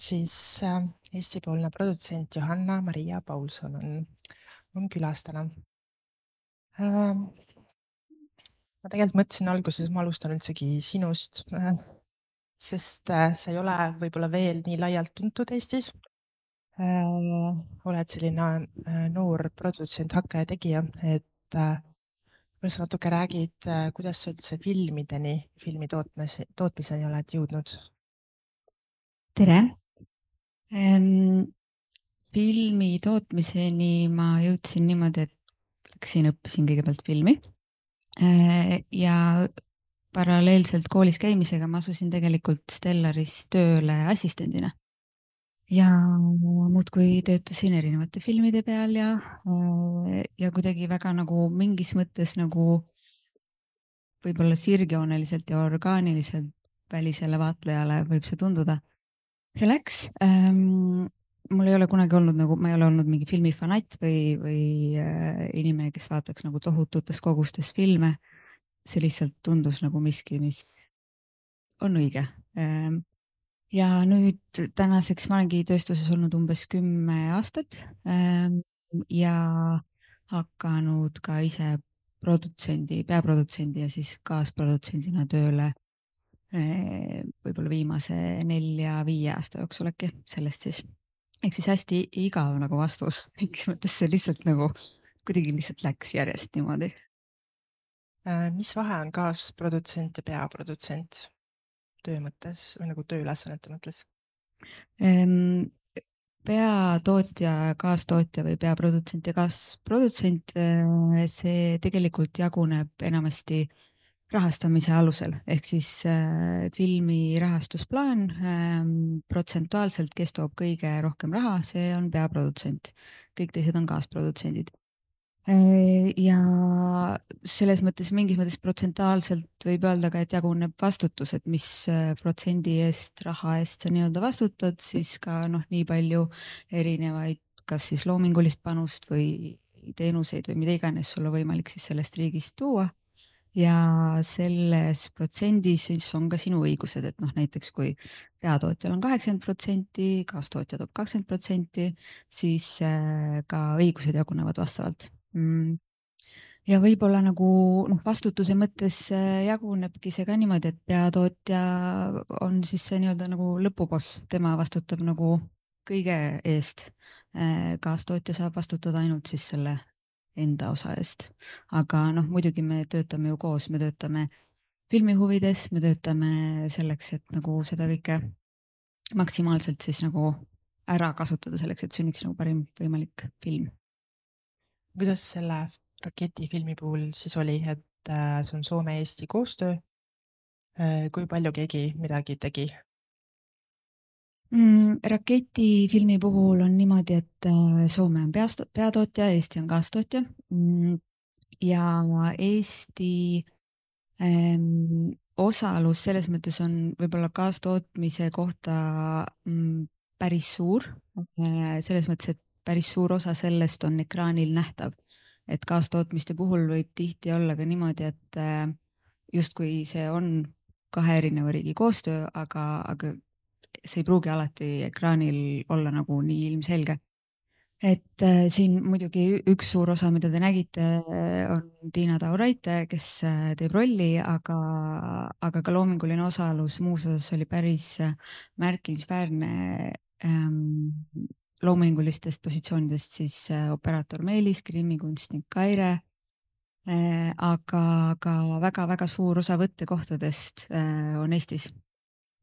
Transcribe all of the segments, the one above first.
Siis Eesti-poolne produtsent Johanna-Maria Paulson on külas täna. Ma tegelikult mõtlesin alguses, ma alustan üldsegi sinust, sest sa ei ole võib-olla veel nii laialt tuntud Eestis. Oled selline noor produtsent, hakkaja tegija, et võib-olla sa natuke räägid, kuidas sa üldse filmi tootmiseni oled jõudnud? Tere! Filmi tootmiseni ma jõudsin niimoodi, et õppisin kõigepealt filmi ja paralleelselt koolis käimisega ma asusin tegelikult Stellaris tööle assistendina. Ja muudkui töötasin erinevate filmide peal ja kuidagi väga nagu mingis mõttes nagu võib-olla sirgjooneliselt ja orgaaniliselt välisele vaatlejale võib see tunduda. See läks. Mul ei ole kunagi olnud nagu, ma ei ole olnud mingi filmifanatt või inimene, kes vaataks nagu tohututes kogustes filme. See lihtsalt tundus nagu miski, mis on õige. Ja nüüd tänaseks ma olengi tööstuses olnud umbes 10 aastat ja hakanud ka ise peaprodutsendi ja siis kaasprodutsendina tööle võib-olla viimase 4-5 aasta jooksul äkki sellest siis. Ehk siis hästi igav nagu vastus, mingis mõttes see lihtsalt nagu kuidagi lihtsalt läks järjest niimoodi. Mis vahe on kaasprodutsent ja peaprodutsent töö mõttes või nagu tööülesannete mõttes? Peatootja, kaastootja või peaprodutsent ja kaasprodutsent, see tegelikult jaguneb enamasti rahastamise alusel, ehk siis filmi rahastusplaan protsentuaalselt, kes toob kõige rohkem raha, see on peaprodutsent. Kõik teised on kaasprodutsendid. Ja selles mõttes, mingis mõttes protsentuaalselt võib öelda ka, et jaguneb vastutus, et mis protsendi eest, raha eest sa nii-öelda vastutad, siis ka nii palju erinevaid, kas siis loomingulist panust või teenuseid või mida iganes sul on võimalik siis sellest riigist tuua. Ja selles protsendis siis on ka sinu õigused, et näiteks kui peatootjal on 80%, kaastootja toob 20%, siis ka õigused jagunevad vastavalt. Ja võib-olla nagu vastutuse mõttes jagunebki see ka niimoodi, et peatootja on siis see nii-öelda nagu lõpuboss, tema vastutab nagu kõige eest. Kaastootja saab vastutada ainult siis selle enda osa eest. Aga muidugi me töötame ju koos, me töötame filmi huvides, me töötame selleks, et nagu seda kõike maksimaalselt siis nagu ära kasutada selleks, et sünniks nagu parim võimalik film. Kuidas selle Raketifilmi puhul siis oli, et see on Soome-Eesti koostöö? Kui palju keegi midagi tegi? Raketifilmi puhul on niimoodi, et Soome on peatootja, Eesti on kaastootja ja Eesti osalus selles mõttes on võib-olla kaastootmise kohta päris suur. Selles mõttes, et päris suur osa sellest on ekraanil nähtav. Et kaastootmiste puhul võib tihti olla ka niimoodi, et justkui see on 2 erineva riigi koostöö, aga see ei pruugi alati ekraanil olla nagu nii ilmselge. Et siin muidugi üks suur osa, mida te nägite, on Tiina Tauraite, kes teeb rolli, aga ka loominguline osalus muus osas oli päris märkimisväärne loomingulistest positsioonidest siis operaator Meelis, grimmikunstnik Kaire, aga ka väga-väga suur osa võttekohtadest on Eestis.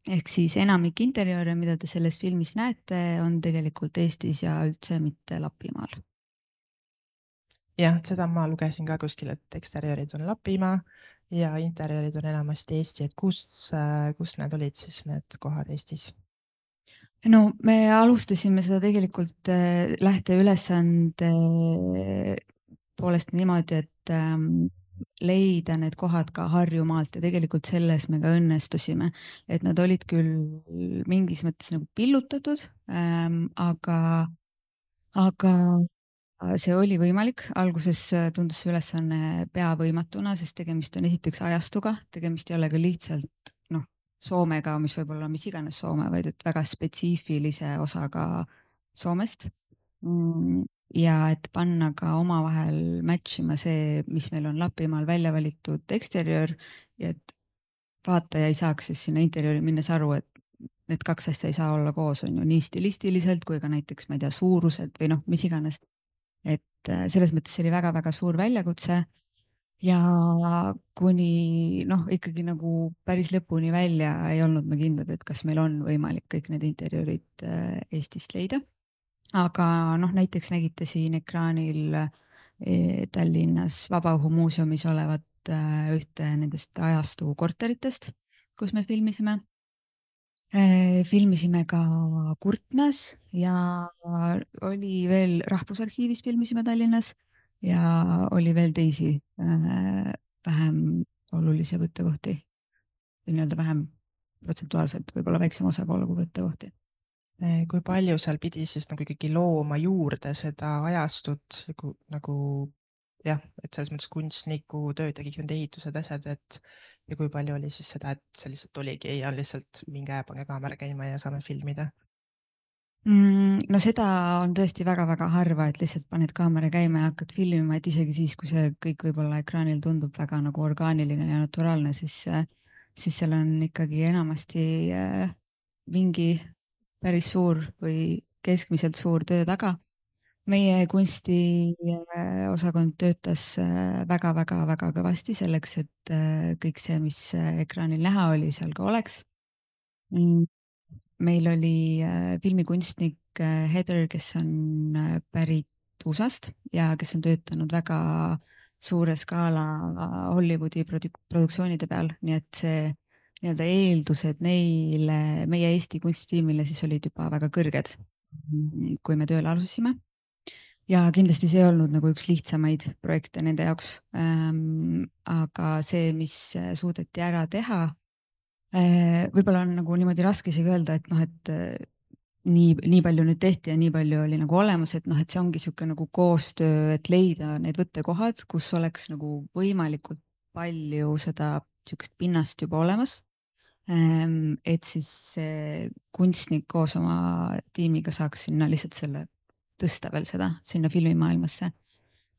Ehk siis enamik interjööre, mida te selles filmis näete, on tegelikult Eestis ja üldse mitte Lapimaal. Jah, seda ma lugesin ka kuskil, et eksterjöörid on Lapimaa ja interjöörid on enamasti Eesti, et kus need olid siis need kohad Eestis? No me alustasime seda tegelikult lähteülesande poolest niimoodi, et leida need kohad ka Harjumaalt ja tegelikult selles me ka õnnestusime, et nad olid küll mingis mõttes nagu pillutatud, aga see oli võimalik. Alguses tundus see ülesanne peavõimatuna, sest tegemist on esiteks ajastuga, tegemist ei ole ka lihtsalt Soomega, mis võib olla mis iganes Soome, vaid et väga spetsiifilise osaga Soomest. Ja et panna ka omavahel match ima see, mis meil on Lapimaal välja valitud eksteriöör ja et vaataja ei saaks siis sinna interjööri minnes aru, et need kaks asja ei saa olla koos, on ju, nii stilistiliselt kui ka näiteks, ma ei tea, suurused või noh, mis iganes. Et selles mõttes see oli väga-väga suur väljakutse ja kuni noh, ikkagi nagu päris lõpuni välja ei olnud me kindlad, et kas meil on võimalik kõik need interjöörid Eestist leida. Aga noh, näiteks nägite siin ekraanil Tallinnas Vabaõhumuuseumis olevat ühte nendest ajastu korteritest, kus me filmisime. Filmisime ka Kurtnas ja oli veel Rahvusarhiivis filmisime Tallinnas ja oli veel teisi vähem olulisi võttekohti või nii-öelda vähem protsentuaalselt võib-olla väiksema osakaaluga võttekohti. Kui palju seal pidi siis nagu ikkagi looma juurde seda ajastut nagu jah, et selles mõttes kunstniku tööd ja kõik need ehitused, asjad, et ja kui palju oli siis seda, et see lihtsalt oligi ja lihtsalt minge pange kaamera käima ja saame filmida? No seda on tõesti väga-väga harva, et lihtsalt paned kaamera käima ja hakkad filmima, et isegi siis, kui see kõik võib-olla ekraanil tundub väga nagu orgaaniline ja naturaalne, siis seal on ikkagi enamasti mingi päris suur või keskmiselt suur töö taga. Meie kunstiosakond töötas väga-väga-väga kõvasti selleks, et kõik see, mis ekraanil näha oli, seal ka oleks. Meil oli filmikunstnik Heather, kes on pärit USA-st ja kes on töötanud väga suure skaala Hollywoodi produktsioonide peal, nii et see nii-öelda eeldused neile, meie Eesti kunstitiimile siis olid juba väga kõrged, kui me tööle alustasime. Ja kindlasti see ei olnud nagu üks lihtsamaid projekte nende jaoks, aga see, mis suudeti ära teha, võib-olla on nagu niimoodi raske isegi öelda, et noh, et nii palju nüüd tehti ja nii palju oli nagu olemas, et noh, et see ongi niisugune nagu koostöö, et leida need võttekohad, kus oleks nagu võimalikult palju seda niisugust pinnast juba olemas. Et siis see kunstnik koos oma tiimiga saaks sinna lihtsalt selle tõsta veel seda sinna filmimaailmasse.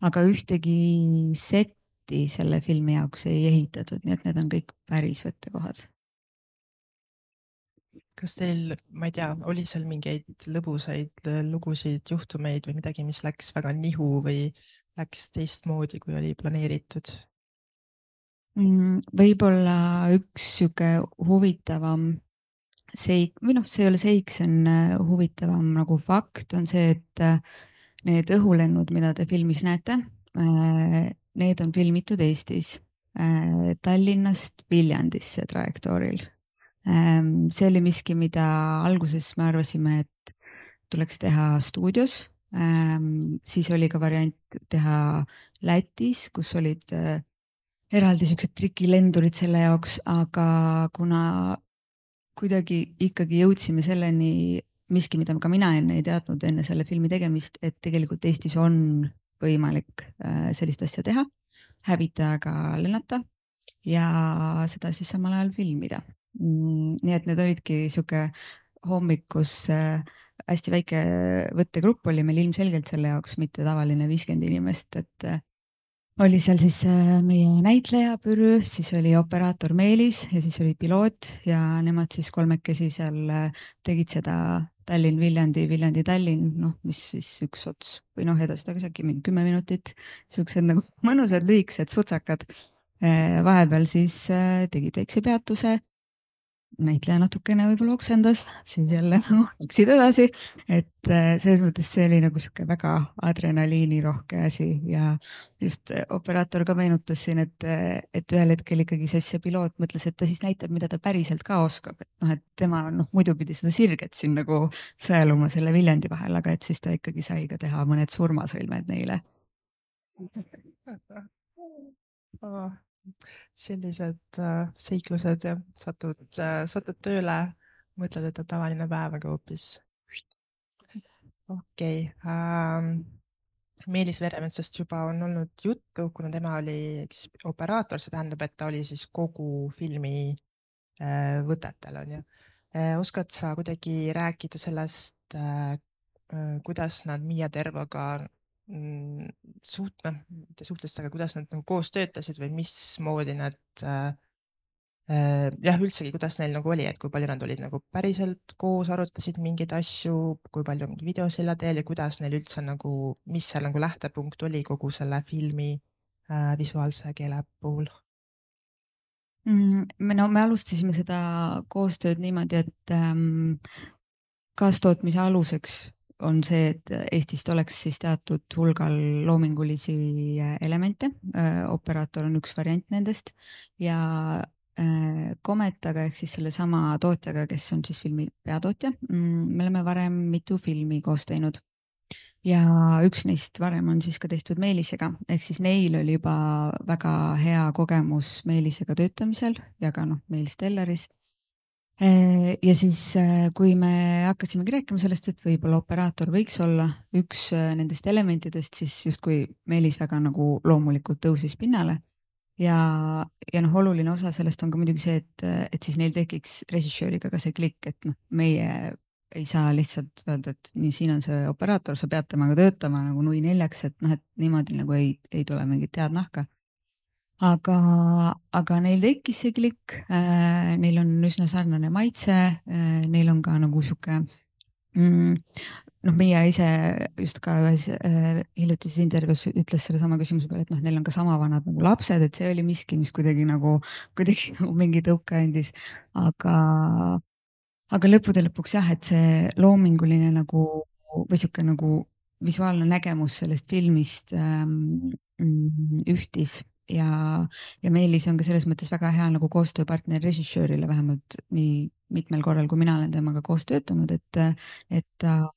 Aga ühtegi setti selle filmi jaoks ei ehitatud, nii et need on kõik päris võttekohad. Kas teil, ma ei tea, oli seal mingeid lõbusaid lugusid, juhtumeid või midagi, mis läks väga nihu või läks teistmoodi, kui oli planeeritud? Võib-olla üks sihuke huvitavam seik, või noh, see ei ole seik, see on huvitavam nagu fakt, on see, et need õhulennud, mida te filmis näete, need on filmitud Eestis, Tallinnast Viljandisse trajektooril. See oli miski, mida alguses me arvasime, et tuleks teha stuudios, siis oli ka variant teha Lätis, kus olid eraldi siuksed trikilendurid selle jaoks, aga kuna kuidagi ikkagi jõudsime selleni miski, mida ka mina enne ei teadnud enne selle filmi tegemist, et tegelikult Eestis on võimalik sellist asja teha, hävitajaga lennata ja seda siis samal ajal filmida. Nii et need olidki siuke hommikus hästi väike võttegrupp oli meil ilmselgelt selle jaoks, mitte tavaline 50 inimest, et oli seal siis meie näitleja Pürü, siis oli operaator Meelis ja siis oli piloot ja nemad siis kolmekesi seal tegid seda Tallinn-Viljandi, Viljandi-Tallinn, noh, mis siis üks ots või noh, edasi-tagasi äkki mingi 10 minutit, siuksed nagu mõnusad lühikesed sutsakad. Vahepeal siis tegid väikse peatuse, näitleja natukene võib-olla oksendas, siis jälle läksid edasi, et selles mõttes see oli nagu sihuke väga adrenaliinirohke asi ja just operaator ka meenutas siin, et ühel hetkel ikkagi see piloot mõtles, et ta siis näitab, mida ta päriselt ka oskab, et noh, et tema muidu pidi seda sirget siin nagu sõeluma selle Viljandi vahel, aga et siis ta ikkagi sai ka teha mõned surmasõlmed neile. Sellised seiklused ja satud tööle, mõtled, et on tavaline päev, aga hoopis. Okei. Meelis Veremetsast juba on olnud juttu, kuna tema oli operaator, see tähendab, et ta oli siis kogu filmi võtetel on ju. Oskad sa kuidagi rääkida sellest, kuidas nad Miia Tervoga mitte suhtlesid, aga kuidas nad nagu koos töötasid või mismoodi nad jah, üldsegi, kuidas neil nagu oli, et kui palju nad olid nagu päriselt koos, arutasid mingeid asju, kui palju mingi videosilla teel ja kuidas neil üldse nagu, mis seal nagu lähtepunkt oli kogu selle filmi visuaalse keele puhul? Me alustasime seda koostööd niimoodi, et kaastootmise aluseks on see, et Eestist oleks siis teatud hulgal loomingulisi elemente. Operaator on üks variant nendest ja Cometaga ehk siis selle sama tootjaga, kes on siis filmi peatootja. Me oleme varem mitu filmi koos teinud ja üks neist varem on siis ka tehtud Meelisega, ehk siis neil oli juba väga hea kogemus Meelisega töötamisel ja ka Meelis Stellaris. Ja siis, kui me hakkasimegi rääkima sellest, et võib-olla operaator võiks olla üks nendest elementidest, siis justkui Meelis väga nagu loomulikult tõusis pinnale. Ja oluline osa sellest on ka muidugi see, et siis neil tekiks režissööriga ka see klikk, et meie ei saa lihtsalt öelda, et nii, siin on see operaator, sa pead temaga töötama nagu nui neljaks, et et niimoodi nagu ei tule mingit head nahka. Aga neil tekkis see klikk, neil on üsna sarnane maitse, neil on ka nagu sihuke Miia ise just ka ühes hiljutises intervjuus ütles selle sama küsimuse peale, et neil on ka sama vanad nagu lapsed, et see oli miski, mis kuidagi nagu mingi tõuke andis, aga lõppude lõpuks jah, et see loominguline nagu või sihuke nagu visuaalne nägemus sellest filmist ühtis ja Meelis on ka selles mõttes väga hea nagu koostööpartner režissöörile, vähemalt nii mitmel korral, kui mina olen temaga koos töötanud, et ta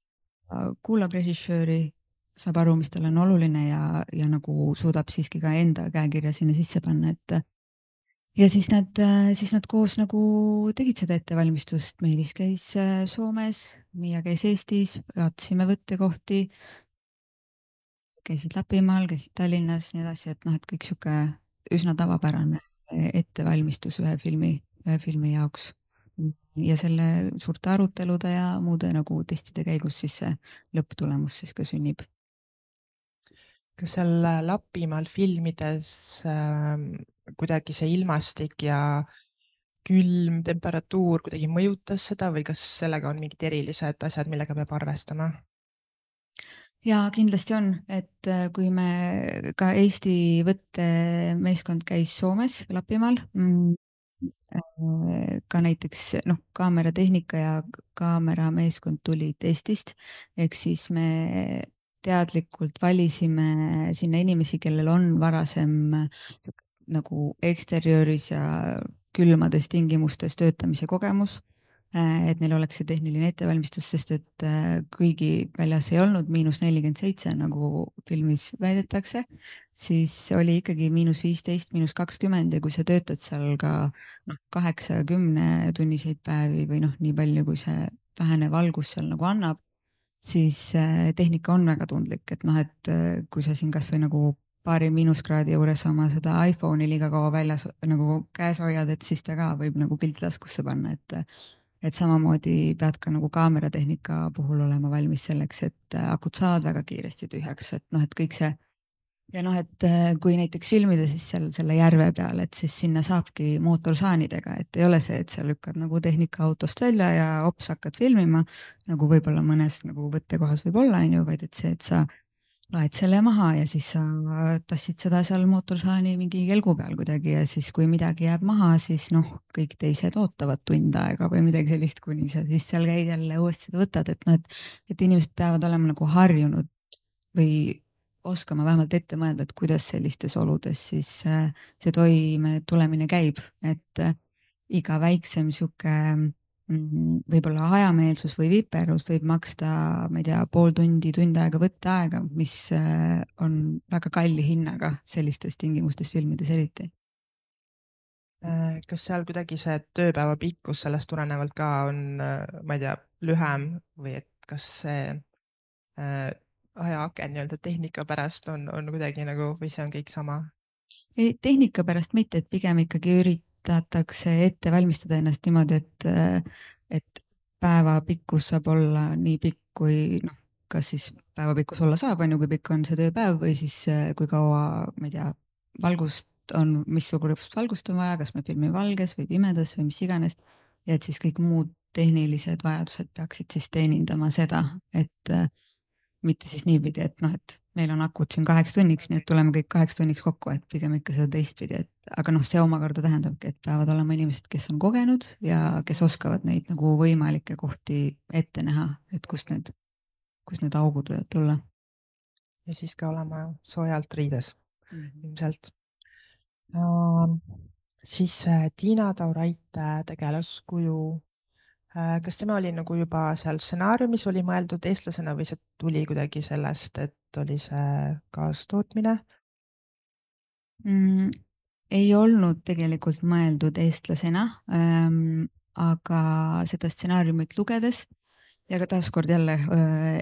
kuulab režissööri, saab aru, mis tal on oluline ja nagu suudab siiski ka enda käekirja sinna sisse panna, et ja siis nad koos nagu tegid seda ettevalmistust, Meelis käis Soomes, Miia käis Eestis, vaatasime võttekohti, käisid Lapimaal, käisid Tallinnas, nii edasi, et et kõik sihuke üsna tavapärane ettevalmistus ühe filmi jaoks. Ja selle suurte arutelude ja muude nagu testide käigus siis see lõpptulemus siis ka sünnib. Kas seal Lapimaal filmides kuidagi see ilmastik ja külm temperatuur kuidagi mõjutas seda või kas sellega on mingid erilised asjad, millega peab arvestama? Ja kindlasti on, et kui me ka Eesti võttemeeskond käis Soomes Lapimaal, ka näiteks kaameratehnika ja kaamerameeskond tulid Eestist, ehk siis me teadlikult valisime sinna inimesi, kellel on varasem nagu eksteriööris ja külmades tingimustes töötamise kogemus, et neil oleks see tehniline ettevalmistus, sest et kuigi väljas ei olnud -47, nagu filmis väidetakse, siis oli ikkagi -15, -20 ja kui sa töötad seal ka 8-10 tunniseid päevi või nii palju, kui see vähene valgus seal nagu annab, siis tehnika on väga tundlik, et kui sa siin kas või nagu paari miinuskraadi juures oma seda iPhone'i liiga kaua väljas nagu käes hoiad, et siis ta ka võib nagu pilt taskusse panna, et samamoodi pead ka nagu kaameratehnika puhul olema valmis selleks, et akud saavad väga kiiresti tühjaks, et kõik see ja et kui näiteks filmida siis seal selle järve peal, et siis sinna saabki mootorsaanidega, et ei ole see, et sa lükkad nagu tehnika autost välja ja hops hakkad filmima, nagu võib-olla mõnes nagu võttekohas võib olla, vaid et see, et sa laed selle maha ja siis sa tassid seda seal mootorsaani mingi kelgu peal kuidagi ja siis kui midagi jääb maha, siis kõik teised ootavad tund aega või midagi sellist, kuni sa siis seal käid jälle uuesti seda võtad, et inimesed peavad olema nagu harjunud või oskama vähemalt ette mõelda, et kuidas sellistes oludes siis see toime tulemine käib, et iga väiksem sihuke võib-olla hajameelsus või viperus võib maksta, ma ei tea, pool tundi, tund aega võtteaega, mis on väga kalli hinnaga sellistes tingimustes filmides eriti. Kas seal kuidagi see tööpäeva pikkus sellest tulenevalt ka on, ma ei tea, lühem või et kas see ajaaken nii-öelda tehnika pärast on kuidagi nagu või see on kõik sama? Tehnika pärast mitte, et pigem ikkagi üritatakse ette valmistada ennast niimoodi, et päeva pikkus saab olla nii pikk, kui noh, kas siis päeva pikkus olla saab, on ju, kui pikk on see tööpäev või siis kui kaua, ma ei tea, valgust on, missugust valgust on vaja, kas me filmime valges või pimedas või mis iganes. ja et siis kõik muud tehnilised vajadused peaksid siis teenindama seda, et mitte siis niipidi, et noh, et meil on akud siin 8 tunniks, nii et tuleme kõik 8 tunniks kokku, et pigem ikka seda teistpidi, et aga noh, see omakorda tähendabki, et peavad olema inimesed, kes on kogenud ja kes oskavad neid nagu võimalikke kohti ette näha, et kust need augud võivad tulla. ja siis ka olema soojalt riides ilmselt. Siis Tiina Tauraite tegelaskuju, kas tema oli nagu juba seal stsenaariumis oli mõeldud eestlasena või see tuli kuidagi sellest, et oli see kaastootmine? Ei olnud tegelikult mõeldud eestlasena, aga seda stsenaariumit lugedes ja ka taaskord jälle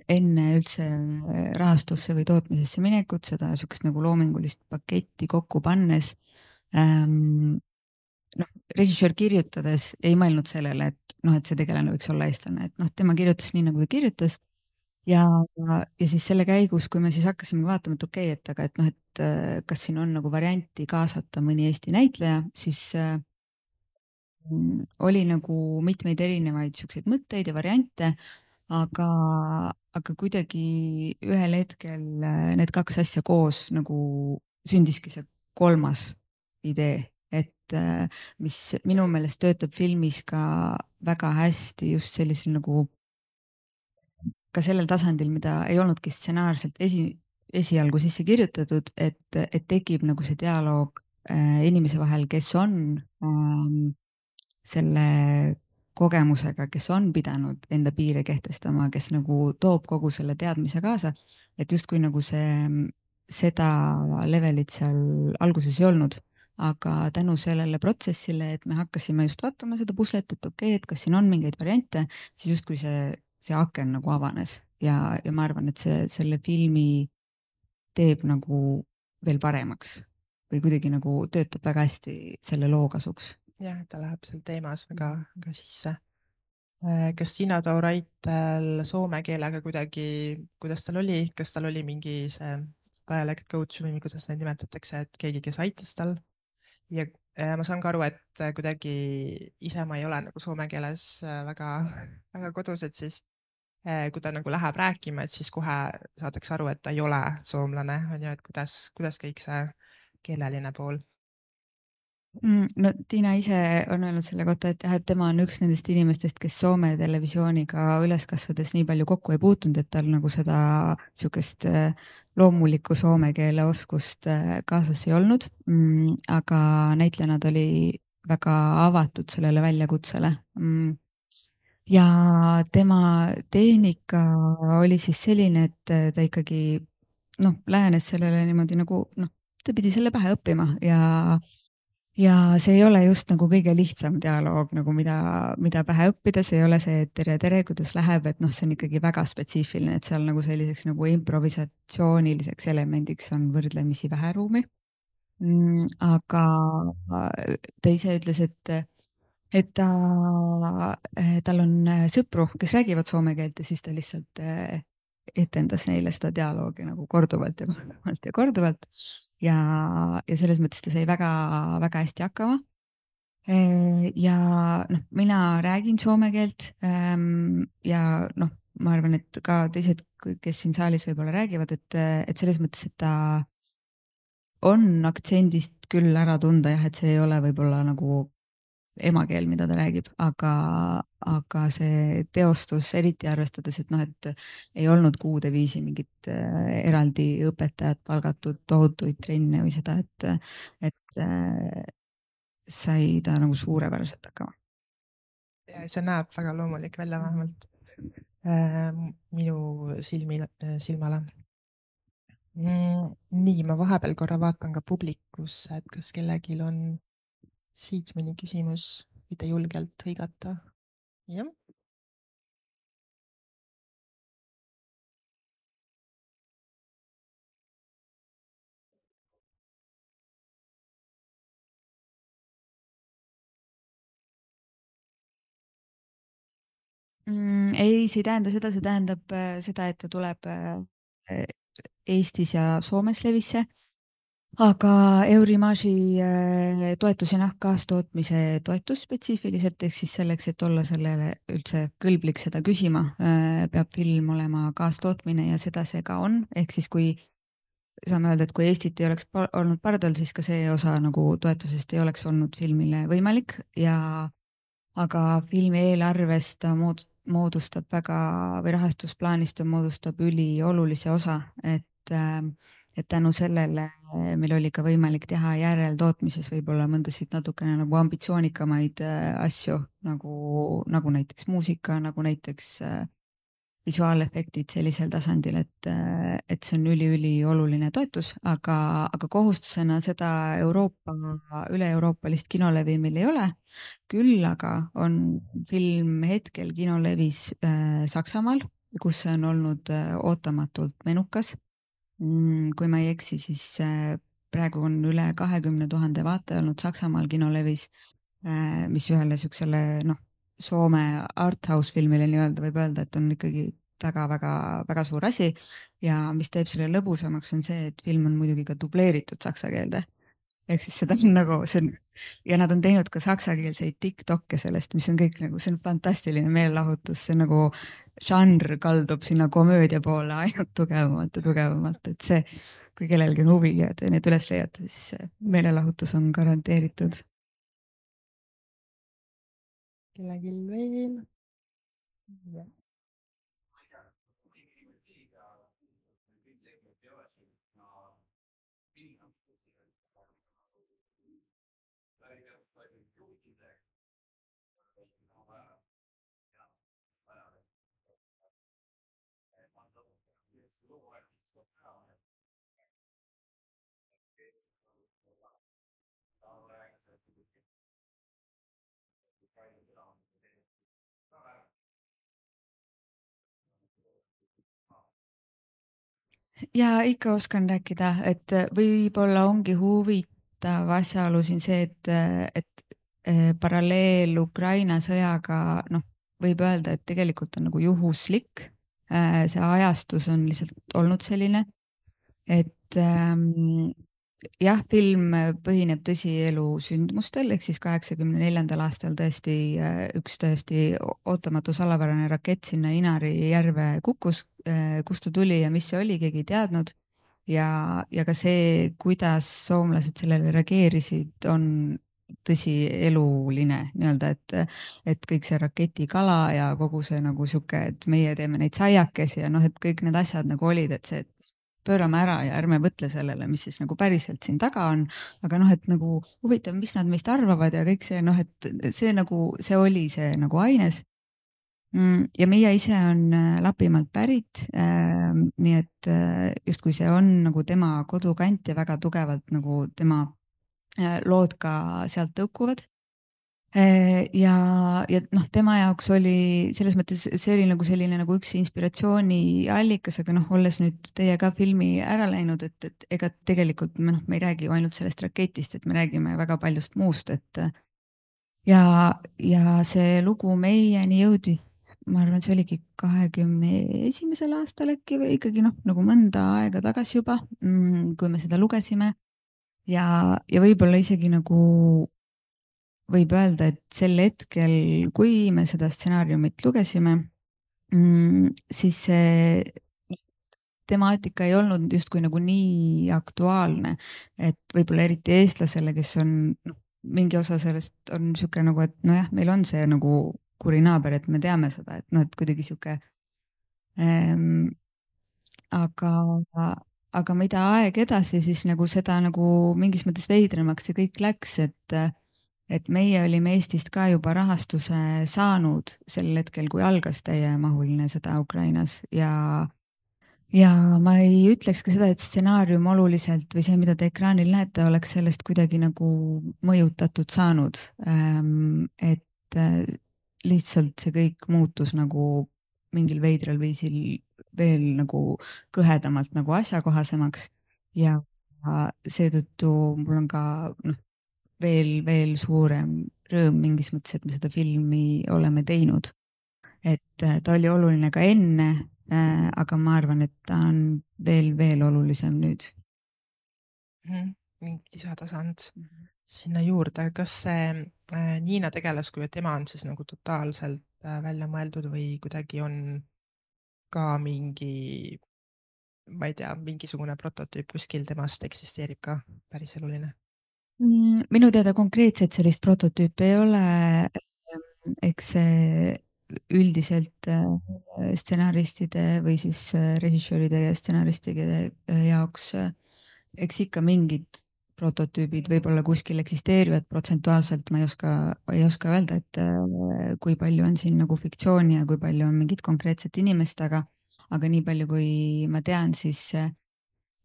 enne üldse rahastusse või tootmisesse minekut, seda niisugust nagu loomingulist paketti kokku pannes, noh, režissöör kirjutades ei mõelnud sellele, et noh, et see tegelane võiks olla eestlane, et noh, tema kirjutas nii, nagu ta kirjutas ja siis selle käigus, kui me siis hakkasime vaatama, et okei, et aga et noh, et kas siin on nagu varianti kaasata mõni Eesti näitleja, siis oli nagu mitmeid erinevaid siukseid mõtteid ja variante, aga kuidagi ühel hetkel need kaks asja koos nagu sündiski see kolmas idee, et mis minu meelest töötab filmis ka väga hästi just sellisel nagu ka sellel tasandil, mida ei olnudki stsenaarselt esialgu sisse kirjutatud, et tekib nagu see dialoog inimese vahel, kes on selle kogemusega, kes on pidanud enda piire kehtestama, kes nagu toob kogu selle teadmise kaasa, et justkui nagu seda levelit seal alguses ei olnud, aga tänu sellele protsessile, et me hakkasime just vaatama seda puslet, et okei, et kas siin on mingeid variante, siis justkui see aken nagu avanes ja ma arvan, et selle filmi teeb nagu veel paremaks või kuidagi nagu töötab väga hästi selle loo kasuks. jah, ta läheb seal teemas väga sisse. Kas Tiina Tauraitel soome keelega kuidagi, kuidas tal oli, kas tal oli mingi see dialect coach või kuidas neid nimetatakse, et keegi, kes aitas tal? ja ma saan ka aru, et kuidagi ise ma ei ole nagu soome keeles väga kodus, et siis kui ta nagu läheb rääkima, et siis kohe saadakse aru, et ta ei ole soomlane, on ju, et kuidas kõik see keeleline pool? No Tiina ise on öelnud selle kohta, et jah, et tema on üks nendest inimestest, kes Soome televisiooniga üles kasvades nii palju kokku ei puutunud, et tal nagu seda niisugust loomulikku soome keele oskust kaasas ei olnud, aga näitlejana ta oli väga avatud sellele väljakutsele. Ja tema tehnika oli siis selline, et ta ikkagi noh, lähenes sellele niimoodi nagu noh, ta pidi selle pähe õppima ja see ei ole just nagu kõige lihtsam dialoog nagu mida pähe õppida, see ei ole see, et tere, kuidas läheb, et noh, see on ikkagi väga spetsiifiline, et seal nagu selliseks nagu improvisatsiooniliseks elemendiks on võrdlemisi vähe ruumi. Aga ta ise ütles, et tal on sõpru, kes räägivad soome keelt ja siis ta lihtsalt etendas neile seda dialoogi nagu korduvalt ja korduvalt ja korduvalt. Ja selles mõttes ta sai väga hästi hakkama. Ja noh, mina räägin soome keelt ja noh, ma arvan, et ka teised, kes siin saalis võib-olla räägivad, et selles mõttes, et ta on aktsendist küll ära tunda jah, et see ei ole võib-olla nagu emakeel, mida ta räägib, aga see teostus, eriti arvestades, et noh, et ei olnud kuude viisi mingit eraldi õpetajat palgatud, tohutuid trenne või seda, et sai ta nagu suurepäraselt hakkama. ja see näeb väga loomulik välja vähemalt minu silmale. Nii, ma vahepeal korra vaatan ka publikusse, et kas kellelgi on siit mõni küsimus, võite julgelt hõigata. jah. Ei, see ei tähenda seda, see tähendab seda, et ta tuleb Eestis ja Soomes levisse. Aga Eurimagi toetus ja kaastootmise toetus spetsiifiliselt, ehk siis selleks, et olla sellele üldse kõlblik seda küsima, peab film olema kaastootmine ja seda see ka on. Ehk siis kui saame öelda, et kui Eestit ei oleks olnud pardal, siis ka see osa nagu toetusest ei oleks olnud filmile võimalik aga filmi eelarvest ta moodustab või rahastusplaanist ta moodustab üliolulise osa, et tänu sellele meil oli ka võimalik teha järeltootmises võib-olla mõndasid natukene nagu ambitsioonikamaid asju, nagu näiteks muusika, nagu näiteks visuaalefektid sellisel tasandil, et see on ülioluline toetus, aga kohustusena seda üle-euroopalist kinolevi meil ei ole. Küll aga on film hetkel kinolevis Saksamaal, kus see on olnud ootamatult menukas. Kui ma ei eksi, siis praegu on üle 20 000 vaataja olnud Saksamaal kinolevis, mis ühele siuksele Soome arthouse filmile nii-öelda võib öelda, et on ikkagi väga suur asi ja mis teeb selle lõbusamaks on see, et film on muidugi ka dubleeritud saksa keelde. Ehk siis seda on nagu, ja nad on teinud ka saksakeelseid TikTok'e sellest, mis on kõik nagu, see on fantastiline meelelahutus, see nagu žanr kaldub sinna komöödia poole ainult tugevamalt, et see, kui kellelgi on huvi ja te need üles leiate, siis meelelahutus on garanteeritud. Kellelgi veel? Ja ikka oskan rääkida, et võib-olla ongi huvitav asjaolu siin see, et paralleel Ukraina sõjaga, võib öelda, et tegelikult on nagu juhuslik. See ajastus on lihtsalt olnud selline, et jah, film põhineb tõsielu sündmustel, ehk siis 1984. aastal tõesti üks tõesti ootamatu salapärane rakett sinna Inari järve kukkus, kust ta tuli ja mis see oli, keegi ei teadnud. Ja ka see, kuidas soomlased sellele reageerisid, on tõsieluline nii-öelda, et kõik see raketikala ja kogu see nagu sihuke, et meie teeme neid saiakesi ja et kõik need asjad nagu olid, et see, et pöörame ära ja ärme mõtle sellele, mis siis nagu päriselt siin taga on, aga et nagu huvitav, mis nad meist arvavad ja kõik see, et see nagu, see oli see nagu aines. Ja Miia ise on Lapimaalt pärit, nii et justkui see on nagu tema kodukant ja väga tugevalt nagu tema lood ka sealt tõukuvad. Ja tema jaoks oli selles mõttes, see oli nagu selline nagu üks inspiratsiooniallikas, aga olles nüüd teie ka filmi ära läinud, et ega tegelikult me ei räägi ju ainult sellest raketist, et me räägime väga paljust muust, et ja see lugu meieni jõudis, ma arvan, see oligi 2021. aastal äkki või ikkagi nagu mõnda aega tagasi juba, kui me seda lugesime ja võib-olla isegi nagu võib öelda, et sel hetkel, kui me seda stsenaariumit lugesime, siis see temaatika ei olnud justkui nagu nii aktuaalne, et võib-olla eriti eestlasele, kes on mingi osa sellest on sihuke nagu, et nojah, meil on see nagu kuri naaber, et me teame seda, et et kuidagi sihuke aga mida aeg edasi, siis nagu seda nagu mingis mõttes veidramaks see kõik läks, et meie olime Eestist ka juba rahastuse saanud sel hetkel, kui algas täiemahuline sõda Ukrainas ja ma ei ütleks ka seda, et stsenaarium oluliselt või see, mida te ekraanil näete, oleks sellest kuidagi nagu mõjutatud saanud. Et lihtsalt see kõik muutus nagu mingil veidral viisil veel nagu kõhedamalt nagu asjakohasemaks ja seetõttu mul on ka veel suurem rõõm mingis mõttes, et me seda filmi oleme teinud. et ta oli oluline ka enne, aga ma arvan, et ta on veel olulisem nüüd. Mingi lisatasand sinna juurde. Kas see Niina tegelaskuju, et tema on siis nagu totaalselt välja mõeldud või kuidagi on ka mingi, ma ei tea, mingisugune prototüüp kuskil temast eksisteerib ka päriseluline? Minu teada konkreetselt sellist prototüüpi ei ole. Eks see üldiselt stsenaristide või siis režissööride ja stsenaristide jaoks, eks ikka mingid prototüübid võib-olla kuskil eksisteerivad, protsentuaalselt ma ei oska öelda, et kui palju on siin nagu fiktsiooni ja kui palju on mingit konkreetset inimest, aga nii palju, kui ma tean, siis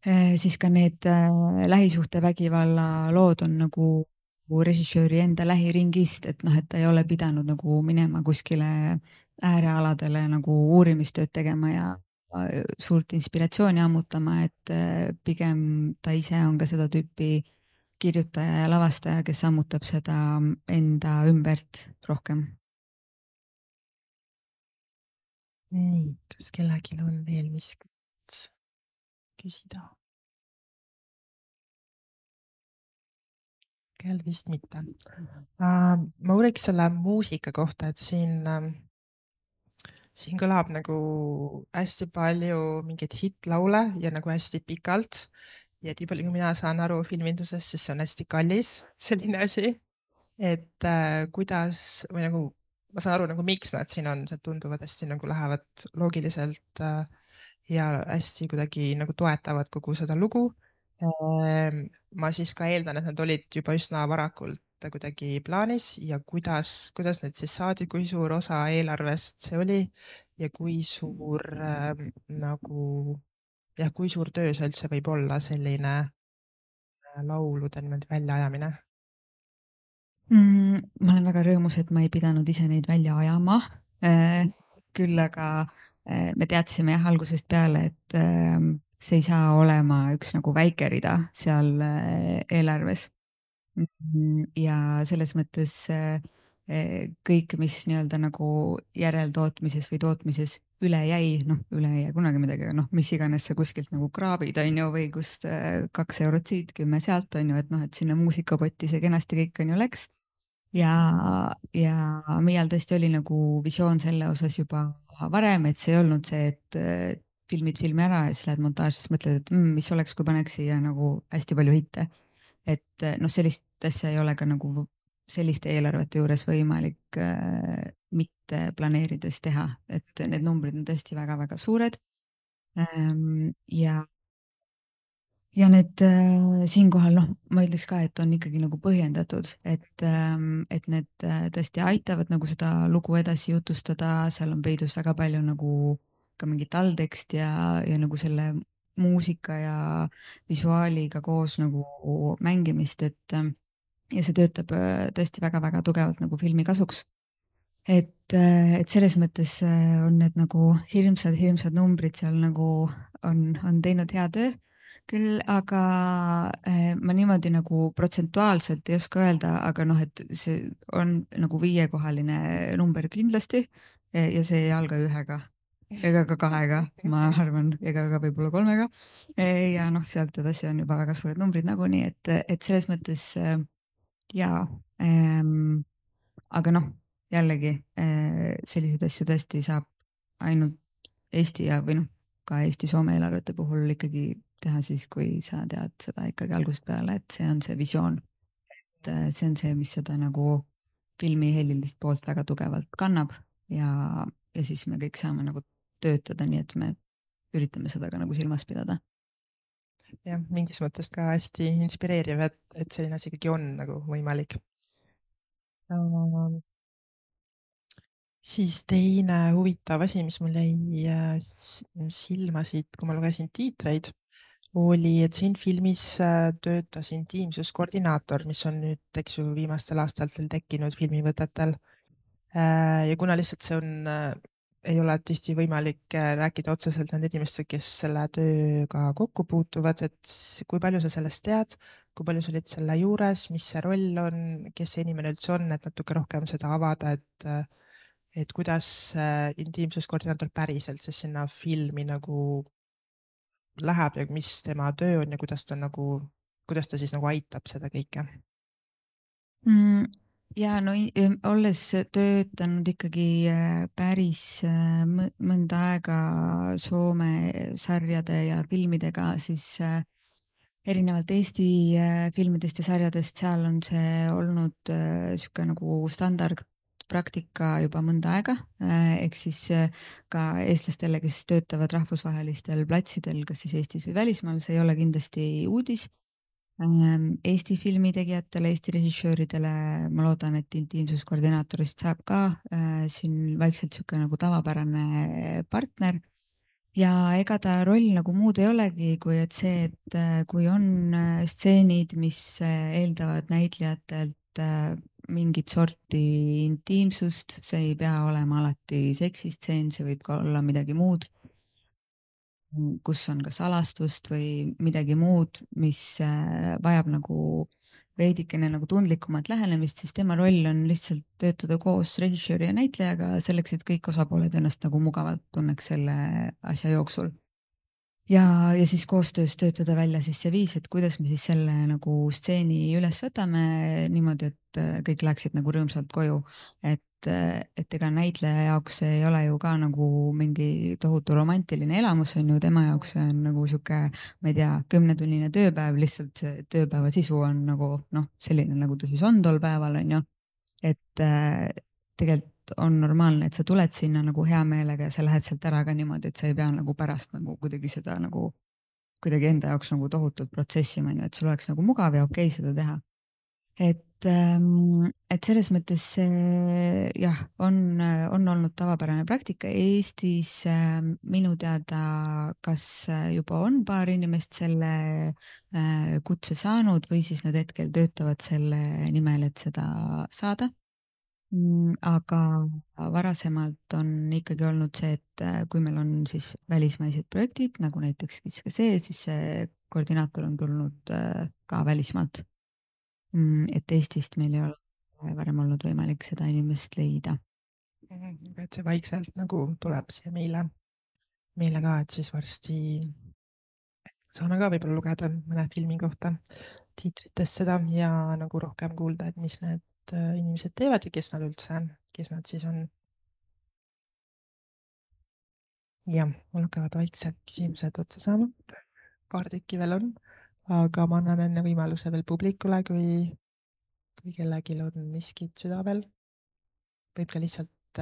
ka need lähisuhtevägivalla lood on nagu režissööri enda lähiringist, et noh, et ta ei ole pidanud nagu minema kuskile äärealadele nagu uurimistööd tegema ja suurt inspiratsiooni ammutama, et pigem ta ise on ka seda tüüpi kirjutaja ja lavastaja, kes ammutab seda enda ümbert rohkem. Nii, kas kellelgi on veel miskit küsida? Kell vist mitte. Ma uuriks selle muusika kohta, et siin kõlab nagu hästi palju mingeid hittlaule ja nagu hästi pikalt. Ja nii palju, kui mina saan aru filmindusest, siis see on hästi kallis selline asi. Et kuidas, või nagu, ma saan aru, nagu miks nad siin on, see tunduvad hästi nagu lähevad loogiliselt ja hästi kuidagi nagu toetavad kogu seda lugu. Ma siis ka eeldan, et nad olid juba üsna varakult kuidagi plaanis ja kuidas need siis saadi, kui suur osa eelarvest see oli ja kui suur nagu, jah, kui suur töö see üldse võib olla selline laulude niimoodi väljaajamine? Ma olen väga rõõmus, et ma ei pidanud ise neid välja ajama. Küll aga me teadsime jah algusest peale, et see ei saa olema üks nagu väike rida seal eelarves. Ja selles mõttes kõik, mis nii-öelda nagu järeltootmises või tootmises üle jäi, noh, üle ei jää kunagi midagi, aga noh, mis iganes sa kuskilt nagu kraabid, on ju, või kust 2 eurot siit, 10 sealt, on ju, et noh, et sinna muusikapotti see kenasti kõik on ju läks. Ja Miial tõesti oli nagu visioon selle osas juba varem, et see ei olnud see, et filmid filmi ära ja siis lähed montaažis, mõtled, et mis oleks, kui paneks siia nagu hästi palju hitte. Et noh, sellist asja ei ole ka nagu selliste eelarvete juures võimalik mitte planeerides teha, et need numbrid on tõesti väga-väga suured. Ja need siinkohal, noh, ma ütleks ka, et on ikkagi nagu põhjendatud, et need tõesti aitavad nagu seda lugu edasi jutustada, seal on peidus väga palju nagu ka mingit allteksti ja nagu selle muusika ja visuaaliga koos nagu mängimist, et ja see töötab tõesti väga-väga tugevalt nagu filmi kasuks. Et selles mõttes on need nagu hirmsad numbrid seal nagu on teinud hea töö küll, aga ma niimoodi nagu protsentuaalselt ei oska öelda, aga noh, et see on nagu 5-kohaline number kindlasti ja see ei alga 1-ga ega ka 2-ga, ma arvan, ega ka võib-olla 3-ga. Ja noh, sealt edasi on juba väga suured numbrid nagunii, et selles mõttes jaa, aga noh, jällegi selliseid asju tõesti saab ainult Eesti ja või noh, ka Eesti-Soome eelarvete puhul ikkagi teha siis, kui sa tead seda ikkagi algusest peale, et see on see visioon. Et see on see, mis seda nagu filmi helilist poolt väga tugevalt kannab ja siis me kõik saame nagu töötada, nii et me üritame seda ka nagu silmas pidada. Jah, mingis mõttes ka hästi inspireeriv, et selline asi ikkagi on nagu võimalik. Siis teine huvitav asi, mis mul jäi silma siit, kui ma lugesin tiitreid, oli, et siin filmis töötas intiimsuskoordinaator, mis on nüüd, eks ju, viimastel aastatel tekkinud filmivõtetel. Ja kuna lihtsalt see on, ei ole tõesti võimalik rääkida otseselt nende inimestega, kes selle tööga kokku puutuvad, et kui palju sa sellest tead, kui palju sa olid selle juures, mis see roll on, kes see inimene üldse on, et natuke rohkem seda avada, et kuidas intiimsuskoordinaator päriselt siis sinna filmi nagu läheb ja mis tema töö on ja kuidas ta siis nagu aitab seda kõike? Ja no olles töötanud ikkagi päris mõnda aega Soome sarjade ja filmidega, siis erinevalt Eesti filmidest ja sarjadest, seal on see olnud sihuke nagu standardpraktika juba mõnda aega, ehk siis ka eestlastele, kes töötavad rahvusvahelistel platsidel, kas siis Eestis või välismaal, see ei ole kindlasti uudis. Eesti filmitegijatele, Eesti režissööridele ma loodan, et intiimsuskoordinaatorist saab ka siin vaikselt sihuke nagu tavapärane partner. Ja ega ta roll nagu muud ei olegi, kui et see, et kui on stseenid, mis eeldavad näitlejatelt mingit sorti intiimsust, see ei pea olema alati seksistseen, see võib ka olla midagi muud, kus on ka salastust või midagi muud, mis vajab nagu veidikene nagu tundlikumat lähenemist, siis tema roll on lihtsalt töötada koos režissööri ja näitlejaga selleks, et kõik osapooled ennast nagu mugavalt tunneks selle asja jooksul. Ja siis koostöös töötada välja siis see viis, et kuidas me siis selle nagu stseeni üles võtame niimoodi, et kõik läheksid nagu rõõmsalt koju. Et ega näitleja jaoks ei ole ju ka nagu mingi tohutu romantiline elamus, on ju, tema jaoks on nagu sihuke, ma ei tea, 10-tunnine tööpäev, lihtsalt see tööpäeva sisu on nagu selline, nagu ta siis on tol päeval, on ju. Et tegelikult on normaalne, et sa tuled sinna nagu hea meelega ja sa lähed sealt ära ka niimoodi, et sa ei pea nagu pärast nagu kuidagi seda nagu kuidagi enda jaoks nagu tohutult protsessima, on ju, et sul oleks nagu mugav ja okei seda teha. Et selles mõttes jah, on olnud tavapärane praktika Eestis. Minu teada, kas juba on paar inimest selle kutse saanud või siis nad hetkel töötavad selle nimel, et seda saada. Aga varasemalt on ikkagi olnud see, et kui meil on siis välismaised projektid, nagu näiteks ka see, siis see koordinaator on tulnud ka välismaalt. Et Eestist meil ei ole varem olnud võimalik seda inimest leida. Et see vaikselt nagu tuleb siia meile ka, et siis varsti saame ka võib-olla lugeda mõne filmi kohta tiitritest seda ja nagu rohkem kuulda, et mis need inimesed teevad ja kes nad siis on. Ja, mul hakkavad vaikselt küsimused otsa saama. Paar tükki veel on. Aga ma annan enne võimaluse veel publikule, kui kellelgi on miskit südavel. Võib ka lihtsalt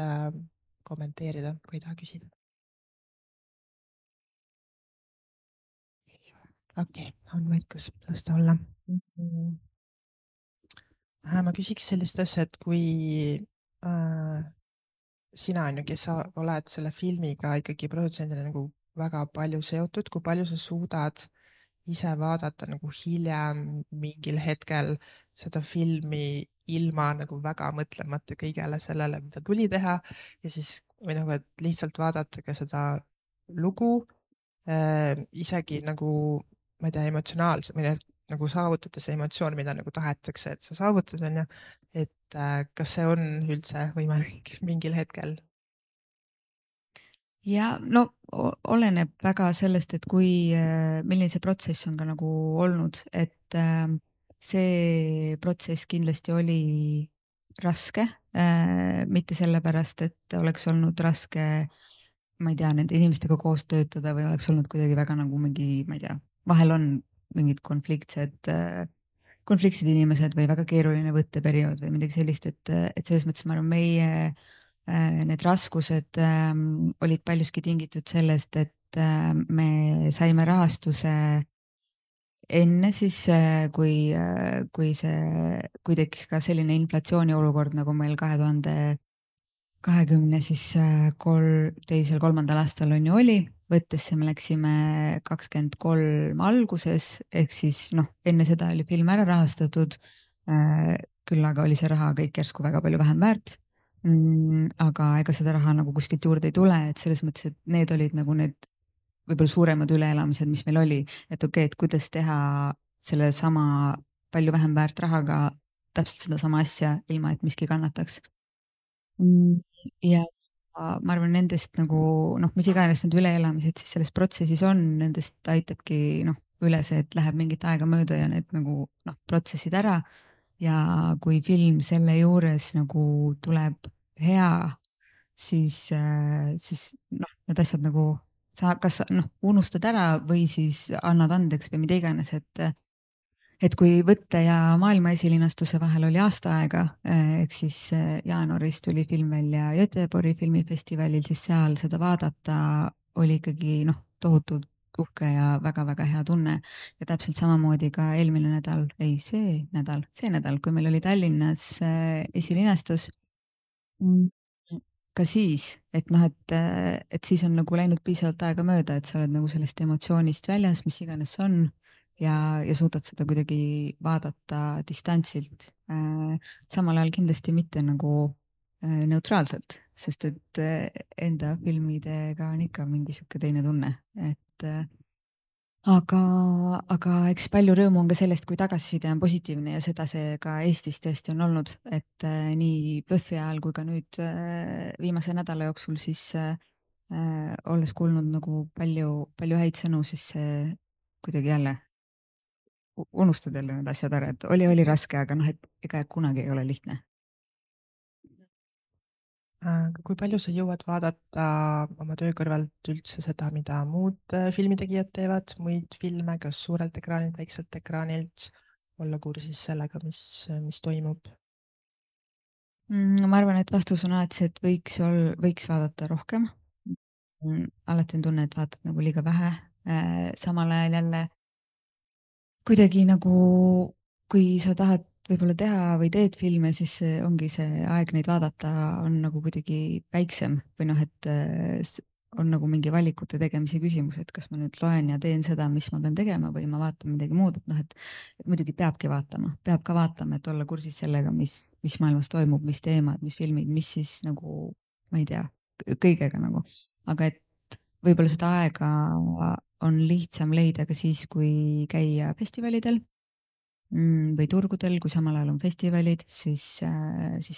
kommenteerida, kui ei taha küsida. Okei, on vaikus, las ta olla. Ma küsiks sellist asja, et kui sina on ju, kes sa oled selle filmiga ikkagi produtsendina nagu väga palju seotud, kui palju sa suudad ise vaadata nagu hiljem mingil hetkel seda filmi ilma nagu väga mõtlemata kõigele sellele, mida tuli teha ja siis või nagu, et lihtsalt vaadata ka seda lugu isegi nagu, ma ei tea, emotsionaalselt või nagu saavutada see emotsioon, mida nagu tahetakse, et sa saavutad, on ju, et kas see on üldse võimalik mingil hetkel? Ja no oleneb väga sellest, et milline see protsess on ka nagu olnud, et see protsess kindlasti oli raske, mitte sellepärast, et oleks olnud raske, ma ei tea, nende inimestega koos töötada või oleks olnud kuidagi väga nagu mingi, ma ei tea, vahel on mingid konfliktsed inimesed või väga keeruline võtteperiood või midagi sellist, et selles mõttes ma arvan, need raskused olid paljuski tingitud sellest, et me saime rahastuse enne siis, kui tekkis ka selline inflatsiooni olukord, nagu meil 2023. aastal on ju oli, võttesse me läksime 23 alguses, ehk siis enne seda oli film ära rahastatud, küll aga oli see raha kõik järsku väga palju vähem väärt. Aga ega seda raha nagu kuskilt juurde ei tule, et selles mõttes, et need olid nagu need võib-olla suuremad üleelamised, mis meil oli, et okei, et kuidas teha selle sama palju vähem väärt rahaga täpselt seda sama asja, ilma et miski kannataks. ja ma arvan, nendest nagu noh, mis iganes need üleelamised siis selles protsessis on, nendest aitabki noh, üle see, et läheb mingit aega mööda ja need nagu noh, protsessid ära. Ja kui film selle juures nagu tuleb hea, siis noh, need asjad nagu sa kas noh, unustad ära või siis annad andeks või mida iganes, et kui Võtte ja maailma esilinastuse vahel oli aasta aega, ehk siis jaanuaris tuli film välja Göteborgi filmifestivalil, siis seal seda vaadata oli ikkagi noh, tohutult uhke ja väga-väga hea tunne. Ja täpselt samamoodi ka eelmine nädal, ei, see nädal, kui meil oli Tallinnas esilinastus, ka siis, et noh, et siis on nagu läinud piisavalt aega mööda, et sa oled nagu sellest emotsioonist väljas, mis iganes see on ja suudad seda kuidagi vaadata distantsilt. Samal ajal kindlasti mitte nagu neutraalselt, sest et enda filmidega on ikka mingi sihuke teine tunne, et aga eks palju rõõmu on ka sellest, kui tagasiside on positiivne ja seda see ka Eestis tõesti on olnud, et nii PÖFFi ajal kui ka nüüd viimase nädala jooksul siis olles kuulnud nagu palju häid sõnu, siis see kuidagi jälle unustad jälle need asjad ära, et oli raske, aga noh, et ega kunagi ei ole lihtne. Kui palju sa jõuad vaadata oma töö kõrvalt üldse seda, mida muud filmitegijad teevad, muid filme, kas suurelt ekraanilt, väikselt ekraanilt, olla kursis sellega, mis toimub? Ma arvan, et vastus on alati see, et võiks vaadata rohkem. Alati on tunne, et vaatad nagu liiga vähe. Samal ajal jälle kuidagi nagu, kui sa tahad võib-olla teha või teed filme, siis ongi see aeg neid vaadata on nagu kuidagi väiksem või noh, et on nagu mingi valikute tegemise küsimus, et kas ma nüüd loen ja teen seda, mis ma pean tegema või ma vaatan midagi muud, et noh, et muidugi peab ka vaatama, et olla kursis sellega, mis maailmas toimub, mis teemad, mis filmid, mis siis nagu, ma ei tea, kõigega nagu, aga et võib-olla seda aega on lihtsam leida ka siis, kui käia festivalidel või turgudel, kui samal ajal on festivalid, siis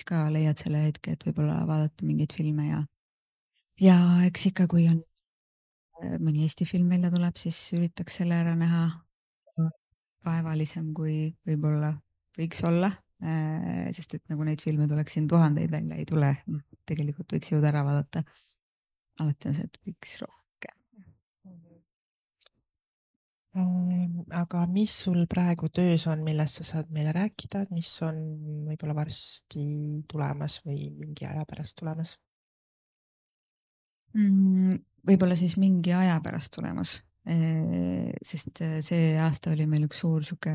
ka leiad selle hetke, et võib-olla vaadata mingeid filme ja eks ikka, kui on mõni Eesti film välja tuleb, siis üritaks selle ära näha vaevalisem, kui võib-olla võiks olla, sest et nagu neid filme tuleks siin tuhandeid välja ei tule, noh, tegelikult võiks jõuda ära vaadata. Alati on see, et võiks rohkem. Aga mis sul praegu töös on, millest sa saad meile rääkida, mis on võib-olla varsti tulemas või mingi aja pärast tulemas? Võib-olla siis mingi aja pärast tulemas, sest see aasta oli meil üks suur sihuke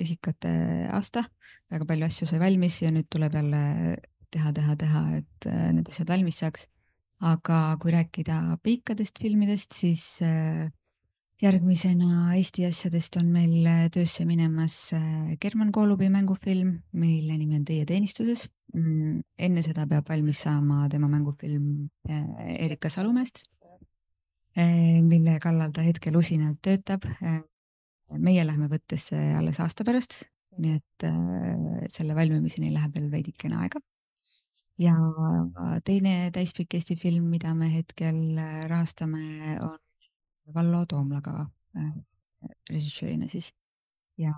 esikate aasta, väga palju asju sai valmis ja nüüd tuleb jälle teha, et need asjad valmis saaks. Aga kui rääkida pikkadest filmidest, siis järgmisena Eesti asjadest on meil töösse minemas German Koolubi mängufilm, mille nimi on Teie teenistuses. Enne seda peab valmis saama tema mängufilm Erika Salumäest, mille kallal ta hetkel usinalt töötab. Meie lähme Võttesse alles aasta pärast, nii et selle valmimiseni läheb veel veidikene aega. Ja teine täispikk Eesti film, mida me hetkel rahastame, on Vallo Toomlaga režissöörina siis. Ja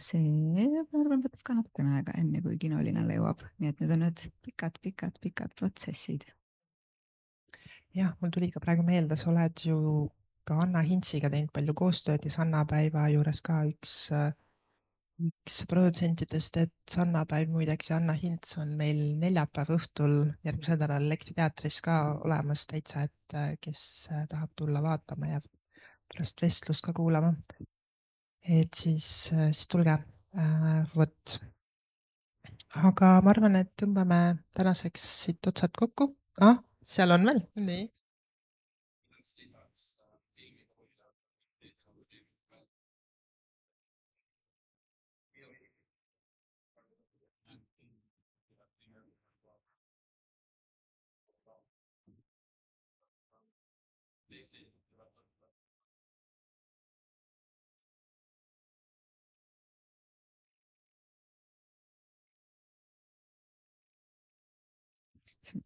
see, ma arvan, võtab ka natukene aega, enne kui kinolinale jõuab. Nii et need on need pikad protsessid. Jah, mul tuli ka praegu meelde, sa oled ju ka Anna Hintsiga teinud palju koostööd ja Sannapäeva juures ka üks produtsentidest, et Sannapäev muideks ja Anna Hints on meil neljapäeva õhtul järgmisel nädalal Lekti teatris ka olemas täitsa, et kes tahab tulla vaatama ja pärast vestlust ka kuulama. Et siis tulge, vot. Aga ma arvan, et tõmbame tänaseks siit otsad kokku. Seal on veel, nii.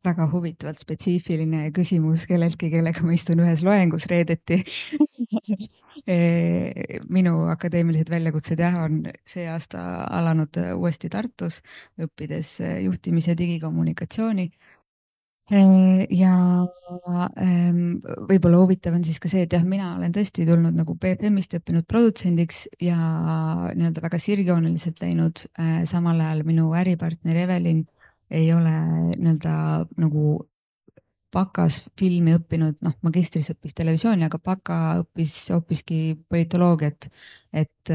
väga huvitavalt spetsiifiline küsimus kelleltki, kellega ma istun ühes loengus reedeti. Minu akadeemilised väljakutsed jah, on see aasta alanud uuesti Tartus, õppides juhtimise digikommunikatsiooni. Ja võib-olla huvitav on siis ka see, et jah, mina olen tõesti tulnud nagu BFM-ist õppinud produtsendiks ja nii-öelda väga sirgjooneliselt läinud. Samal ajal minu äripartner Evelin ei ole nii-öelda nagu bakas filmi õppinud, noh, magistris õppis televisiooni, aga baka õppis hoopiski politoloogiat. Et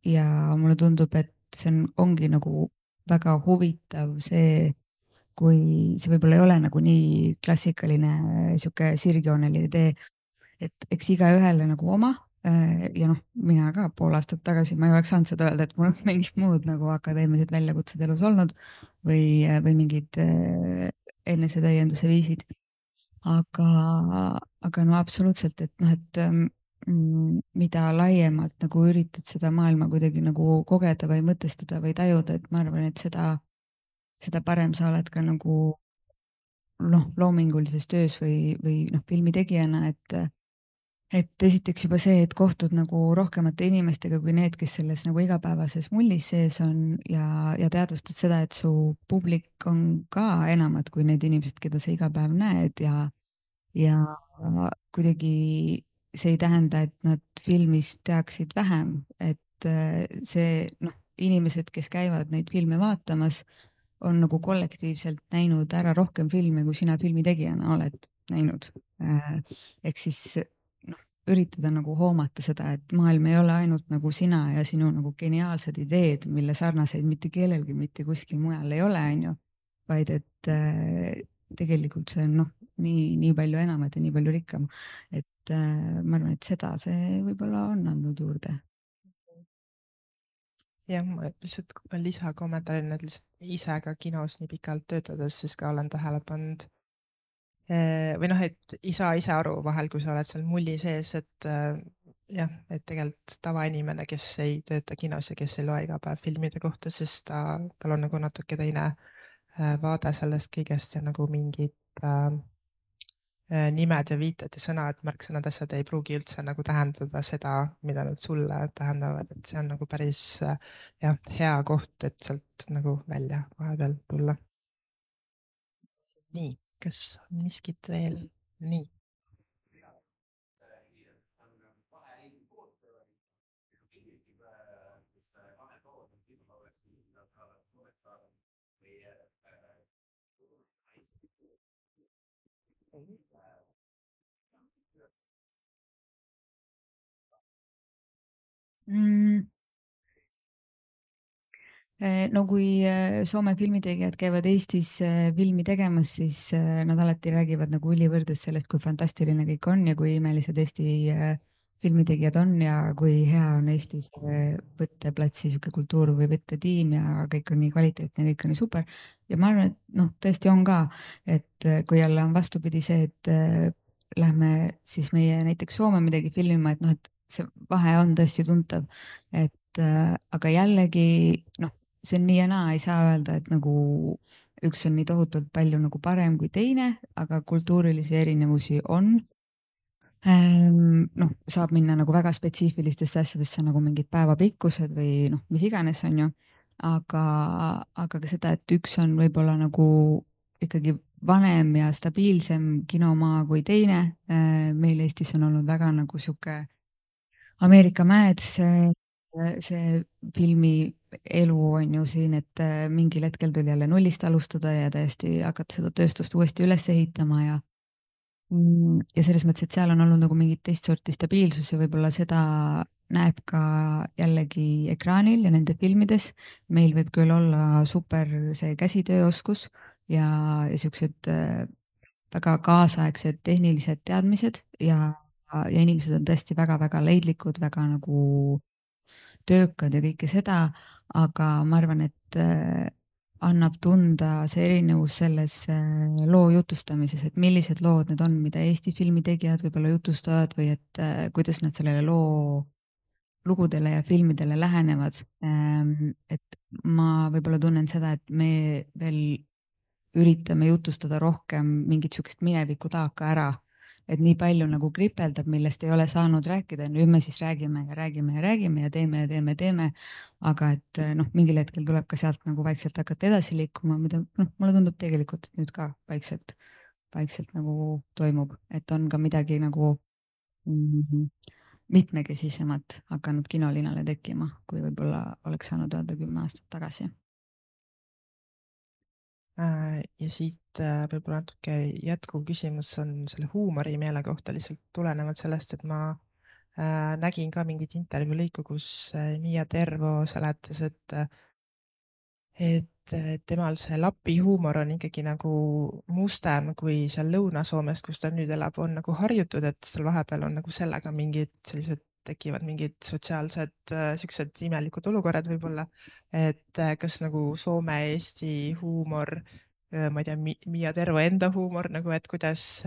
ja mulle tundub, et see ongi nagu väga huvitav see, kui see võib-olla ei ole nagu nii klassikaline sihuke sirgjooneline tee, et eks igaühele nagu oma. Ja noh, mina ka pool aastat tagasi ma ei oleks saanud seda öelda, et mul on mingid muud nagu akadeemilised väljakutsed elus olnud või mingid enesetäienduse viisid. Aga no absoluutselt, et noh, et mida laiemalt nagu üritad seda maailma kuidagi nagu kogeda või mõtestada või tajuda, et ma arvan, et seda parem sa oled ka nagu noh, loomingulises töös või noh, filmitegijana, et esiteks juba see, et kohtud nagu rohkemate inimestega kui need, kes selles nagu igapäevases mullis sees on ja teadvustad seda, et su publik on ka enamad kui need inimesed, keda sa iga päev näed ja kuidagi see ei tähenda, et nad filmist teaksid vähem, et see noh, inimesed, kes käivad neid filme vaatamas, on nagu kollektiivselt näinud ära rohkem filme, kui sina filmitegijana oled näinud. Ehk siis noh, üritada nagu hoomata seda, et maailm ei ole ainult nagu sina ja sinu nagu geniaalsed ideed, mille sarnaseid mitte kellelgi mitte kuskil mujal ei ole, on ju, vaid et tegelikult see on noh, nii palju enamat ja nii palju rikkam. Et ma arvan, et seda see võib-olla on andnud juurde. jah, ma lihtsalt lisakommentaarin, et lihtsalt ise ka kinos nii pikalt töötades siis ka olen tähele pannud või noh, et ei saa ise aru vahel, kui sa oled seal mulli sees, et jah, et tegelikult tavainimene, kes ei tööta kinos ja kes ei loe iga päev filmide kohta, siis tal on nagu natuke teine vaade sellest kõigest ja nagu mingid nimed ja viited ja sõnad, märksõnad, asjad ei pruugi üldse nagu tähendada seda, mida nad sulle tähendavad, et see on nagu päris jah, hea koht, et sealt nagu välja vahepeal tulla. Nii, kas on miskit veel? Nii. No kui Soome filmitegijad käivad Eestis filmi tegemas, siis nad alati räägivad nagu ülivõrdes sellest, kui fantastiline kõik on ja kui imelised Eesti filmitegijad on ja kui hea on Eestis võtteplatsi sihuke kultuur või võttetiim ja kõik on nii kvaliteetne, kõik on nii super. Ja ma arvan, et noh, tõesti on ka, et kui jälle on vastupidi see, et lähme siis meie näiteks Soome midagi filmima, et noh, et see vahe on tõesti tuntav, et aga jällegi noh, see on nii ja naa, ei saa öelda, et nagu üks on nii tohutult palju nagu parem kui teine, aga kultuurilisi erinevusi on. Noh, saab minna nagu väga spetsiifilistesse asjadesse nagu mingid päevapikkused või noh, mis iganes on ju, aga ka seda, et üks on võib-olla nagu ikkagi vanem ja stabiilsem kinomaa kui teine. Meil Eestis on olnud väga nagu sihuke Ameerika mäed, see filmi elu on ju siin, et mingil hetkel tuli jälle nullist alustada ja täiesti hakata seda tööstust uuesti üles ehitama ja selles mõttes, et seal on olnud nagu mingit teist sorti stabiilsus ja võib-olla seda näeb ka jällegi ekraanil ja nende filmides. Meil võib küll olla super see käsitööoskus ja siuksed väga kaasaegsed tehnilised teadmised ja inimesed on tõesti väga-väga leidlikud, väga nagu töökad ja kõike seda, aga ma arvan, et annab tunda see erinevus selles loo jutustamises, et millised lood need on, mida Eesti filmitegijad võib-olla jutustavad või et kuidas nad sellele loo lugudele ja filmidele lähenevad. Et ma võib-olla tunnen seda, et me veel üritame jutustada rohkem mingit sihukest mineviku taaka ära, et nii palju nagu kripeldab, millest ei ole saanud rääkida, nüüd me siis räägime ja räägime ja räägime ja teeme ja teeme ja teeme, aga et noh, mingil hetkel tuleb ka sealt nagu vaikselt hakata edasi liikuma, mida noh, mulle tundub tegelikult et nüüd ka vaikselt nagu toimub, et on ka midagi nagu mitmekesisemat hakanud kinolinale tekkima, kui võib-olla oleks saanud öelda 10 aastat tagasi. Ja siit võib-olla natuke jätkuv küsimus on selle huumorimeele kohta lihtsalt tulenevalt sellest, et ma nägin ka mingit intervjuu lõiku, kus Miia Tervo seletas, et temal see Lapi huumor on ikkagi nagu mustem kui seal Lõuna-Soomes, kus ta nüüd elab, on nagu harjutud, et seal vahepeal on nagu sellega mingid sellised tekivad mingid sotsiaalsed siuksed imelikud olukorrad võib-olla, et kas nagu Soome-Eesti huumor, ma ei tea, Miia Tervo enda huumor nagu, et kuidas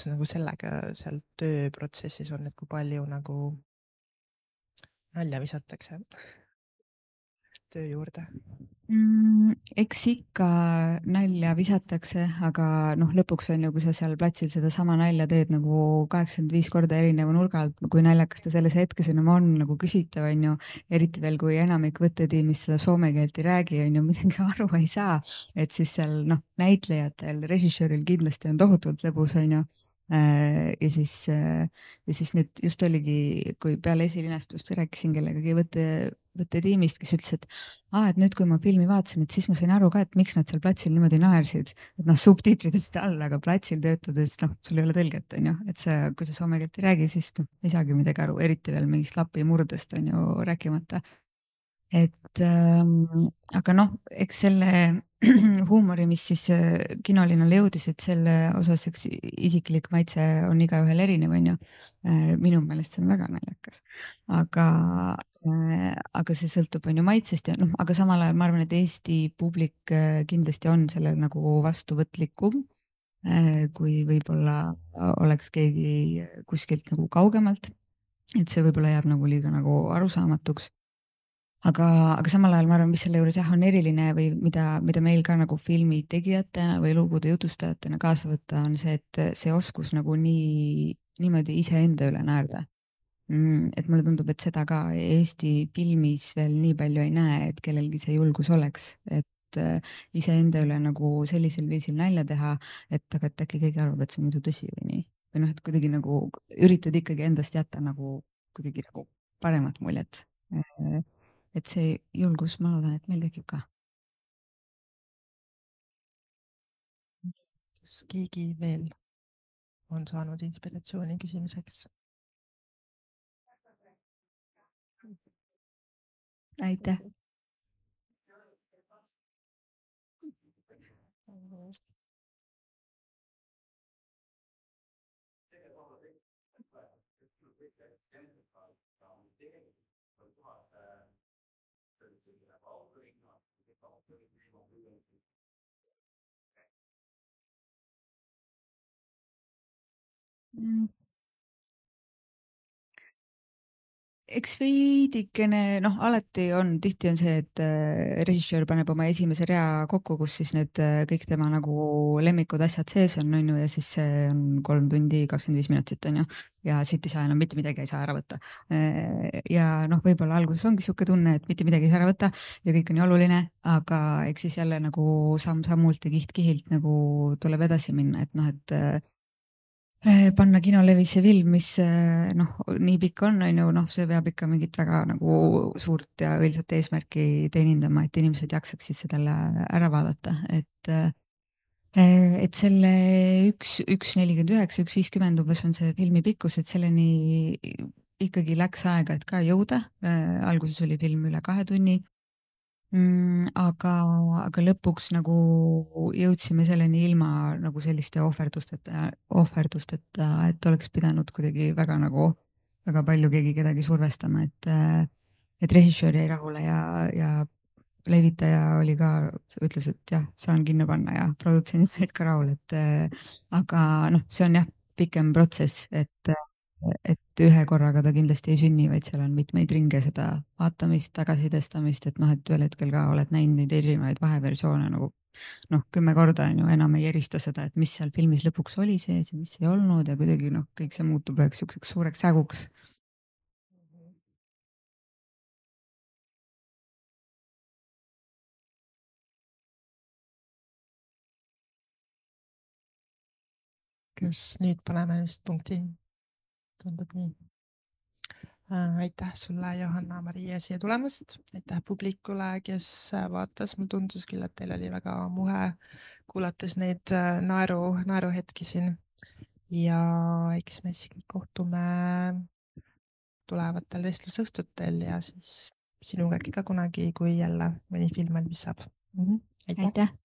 nagu sellega seal tööprotsessis on, et kui palju nagu nalja visatakse töö juurde? Eks ikka nalja visatakse, aga noh, lõpuks on ju, kui sa seal platsil sedasama nalja teed nagu 85 korda erineva nurga alt, kui naljakas ta selles hetkes enam on, nagu küsitav on ju, eriti veel, kui enamik võttetiimist seda soome keelt ei räägi, on ju, midagi aru ei saa, et siis seal noh, näitlejatel, režissööril kindlasti on tohutult lõbus, on ju. Ja siis nüüd just oligi, kui peale esilinastust rääkisin kellegagi võttetiimist, kes ütles, et nüüd, kui ma filmi vaatasin, et siis ma sain aru ka, et miks nad seal platsil niimoodi naersid, et noh, subtiitrid olid all, aga platsil töötades, noh, sul ei ole tõlget, on ju, et sa, kui sa soome keelt ei räägi, siis noh, ei saagi midagi aru, eriti veel mingist Lapi murdest on ju rääkimata. Et aga noh, eks selle huumori, mis siis kinolinale jõudis, et selle osas eks isiklik maitse on igaühel erinev, on ju. Minu meelest see on väga naljakas, aga see sõltub on ju maitsest ja noh, aga samal ajal ma arvan, et Eesti publik kindlasti on sellel nagu vastuvõtlikum, kui võib-olla oleks keegi kuskilt nagu kaugemalt, et see võib-olla jääb nagu liiga nagu arusaamatuks. Aga samal ajal ma arvan, mis selle juures jah on eriline või mida meil ka nagu filmi tegijatena või lugude jutustajatena kaasa võtta, on see, et see oskus nagu niimoodi iseenda üle naerda. Et mulle tundub, et seda ka Eesti filmis veel nii palju ei näe, et kellelgi see julgus oleks, et iseenda üle nagu sellisel viisil nalja teha, et aga et äkki keegi arvab, et see on muidu tõsi või nii. Või noh, et kuidagi nagu üritad ikkagi endast jätta nagu kuidagi nagu paremat muljet. Et see julgus, ma loodan, et meil tekib ka. Kas keegi veel on saanud inspiratsiooni küsimiseks? Aitäh! Eks veidikene, noh, alati on, tihti on see, et režissöör paneb oma esimese rea kokku, kus siis need kõik tema nagu lemmikud asjad sees on ju, ja siis see on 3 tundi 25 minutit on ju, ja siit ei saa enam mitte midagi ei saa ära võtta. Ja noh, võib-olla alguses ongi sihuke tunne, et mitte midagi ei saa ära võtta ja kõik on nii oluline, aga eks siis jälle nagu samm-sammult ja kiht-kihilt nagu tuleb edasi minna, et noh, et panna kinolevisse film, mis noh, nii pikk on ju, noh, see peab ikka mingit väga nagu suurt ja õilsat eesmärki teenindama, et inimesed jaksaksid seda ära vaadata, et selle 1:49, 1:50 umbes on see filmi pikkus, et selleni ikkagi läks aega, et ka jõuda. Alguses oli film üle 2 tunni. Aga lõpuks nagu jõudsime selleni ilma nagu selliste ohverdusteta, et oleks pidanud kuidagi väga palju keegi kedagi survestama, et režissöör jäi rahule ja levitaja oli ka, ütles, et jah, saan kinno panna ja produtsendid olid ka rahul, aga noh, see on jah, pikem protsess, et ühe korraga ta kindlasti ei sünni, vaid seal on mitmeid ringe seda vaatamist, tagasisidestamist, et noh, et ühel hetkel ka oled näinud neid erinevaid vaheversioone nagu noh, 10 korda on ju, enam ei erista seda, et mis seal filmis lõpuks oli sees ja mis ei olnud ja kuidagi noh, kõik see muutub üheks siukseks suureks häguks. kas nüüd paneme vist punkti? Tundub nii. Aitäh sulle, Johanna-Maria, siia tulemast. Aitäh publikule, kes vaatas. Mul tundus küll, et teil oli väga muhe kuulates neid naeruhetki siin. Ja eks me siis kohtume tulevatel vestlusõhtutel ja siis sinuga äkki ka kunagi, kui jälle mõni film valmis saab. Aitäh! Aitäh!